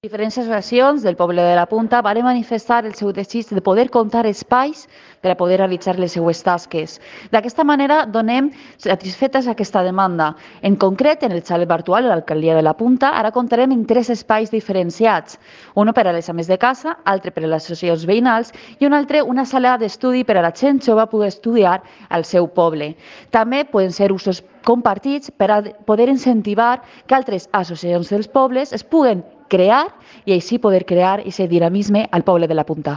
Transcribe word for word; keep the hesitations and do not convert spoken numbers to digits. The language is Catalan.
Diferents associacions del poble de la Punta van manifestar el seu desig de poder comptar espais per a poder realitzar les seues tasques. D'aquesta manera donem satisfetes aquesta demanda. En concret, en el xalet virtual de l'alcaldia de la Punta, ara comptarem en tres espais diferenciats. Un per a les ames de casa, altre per a les associacions veïnals i un altre una sala d'estudi per a la gent jove poder estudiar al seu poble. També poden ser usos compartits per a poder incentivar que altres associacions dels pobles es puguen crear i així poder crear aquest dinamisme al poble de la Punta.